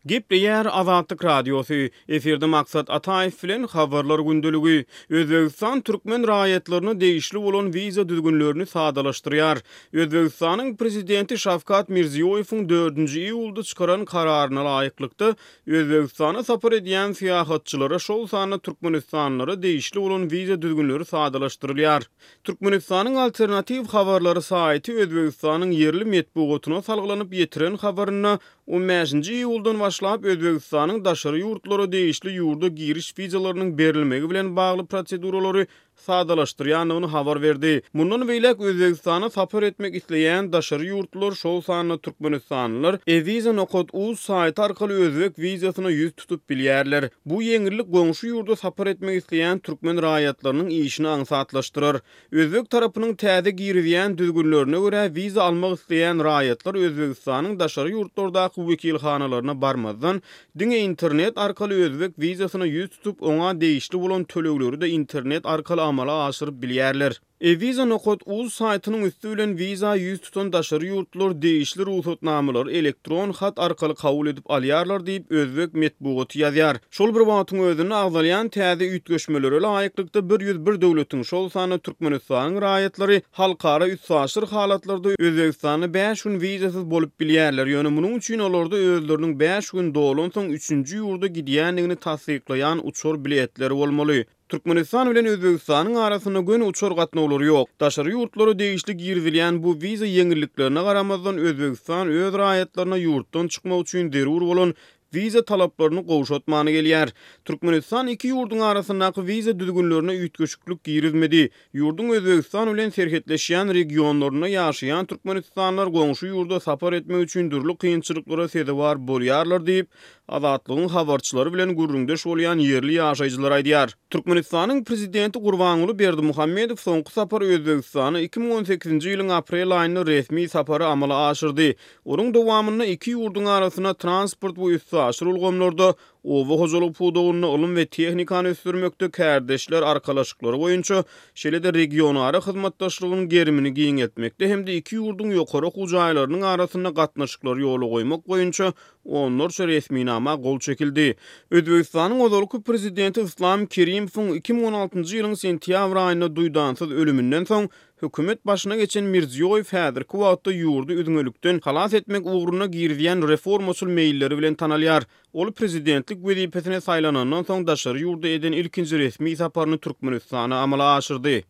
Gepleýär Azatlyk Radiosy, efirde Maksat Ataýew bilen Habarlar gündeligi. Özbegistan türkmen raýatlaryna degişli bolan wiza düzgünlerini sadalaşdyrýar. Özbegistanyň Prezidenti Şawkat Mirziýoýewiň dördünji iýulda çykaran kararyna laýyklykda, Özbegistana sapar edýän syýahatçylara, şol sanda türkmenistanlylara degişli bolan wiza düzgünleri sadalaşdyrylýar. Türkmenistanyň Alternatiw habarlary saýty Özbegistanyň ýerli metbugatyna salgylanyp ýetiren habarynda On bäşinji iýuldan başlap Özbegistanyň daşary ýurtlara degişli ýurda giriş wizalarynyň berilmegi bilen bagly proseduralary sadalaşdyrýandygyny habar berdi. Mundan beýläk Özbegistana sapar etmek isleýän daşary ýurtlular, şol sanda türkmenistanlylar e-viza nokat uz saýty arkaly özbek wizasyna ýüz tutup bilýärler. Bu ýeňillik goňşy ýurda sapar etmek isleýän türkmen raýatlarynyň işini aňsatlaşdyrar. Özbek tarapynyň täze girizýän düzgünlerine görä, wiza almak isleýän raýatlar Özbegistanyň daşary ýurtlardaky wekilhanalaryna barmazdan, diňe internet arkaly özbek wizasyna ýüz tutup, oňa degişli bolan tölegleri-de internet arkaly amala aşyryp bilýärler. E-Visa nokat uz saýtynyň üsti bilen wiza ýüz tutan daşary ýurtlular degişli rugsatnamalary elektron hat arkaly kabul edip alýarlar diýip, özbek metbugaty ýazýar. Şol bir wagtyň özünde agzalýan täze üýtgeşmelere laýyklykda 101 döwletiň, şol sanda Türkmenistanyň raýatlary halkara üstaşyr halatlarda Özbegistanda bäş gün wizasyz bolup bilýärler, ýöne munuň üçin olarda özleriniň bäş gün dolansoň üçünji ýurda gidýändigini tassyklaýan uçar biletleri bolmaly. Türkmenistan bilen Özbegistanyň arasynda göni uçar gatnawlary ýok. Daşary ýurtlara degişli girizilýän bu wiza ýeňilliklerine garamazdan Özbegistan öz raýatlaryna ýurtdan çykmak üçin zerur bolan wiza talaplaryny gowşatmany gelýär. Türkmenistan iki ýurduň arasyndaky wiza düzgünlerine üýtgeşiklik girizmedi. Ýurduň Özbegistan bilen serhetleşýän regionlarynda ýaşaýan türkmenistanlylar goňşy ýurda sapar etmek üçin dürli kynçylyklara sezewar bolýarlar diýip, Azatlygyň habarçylary bilen gürrüňdeş bolýan ýerli ýaşaýjylar aýdýar. Türkmenistanyň prezidenti Gurbanguly Berdimuhamedow soňky sapar Özbegistana 2018-nji ýylyň aprel aýynda resmi sapary amala aşyrdy. Onuň dowamynda iki ýurduň arasynda transport we üstaşyr ulgamlarda, oba hojalyk pudagynda, ylym we tehnikany ösdürmekde kärdeşler arkalaşyklary boýunça, şeýle-de regionara hyzmatdaşlygyň gerimini giňeltmekde hem-de iki ýurduň ýokary okuw jaýlarynyň arasynda gatnaşyklary ýola goýmak boýunça onlarça resminama gol çekildi. Özbegistanyň ozalky prezidenti Yslam Kerimowyň 2016-njy ýylyň sentýabr aýynda duýdansyz ölüminden soň Hökümet başyna geçen Mirziýoýew häzirki wagtda ýurdy üzňelikden halas etmek ugrunda girizýän reformaçyl meýilleri bilen tanalýar. Ol prezidentlik wezipesine saýlanandan soň daşary ýurda eden ilkinji resmi saparyny Türkmenistana amala aşyrdy.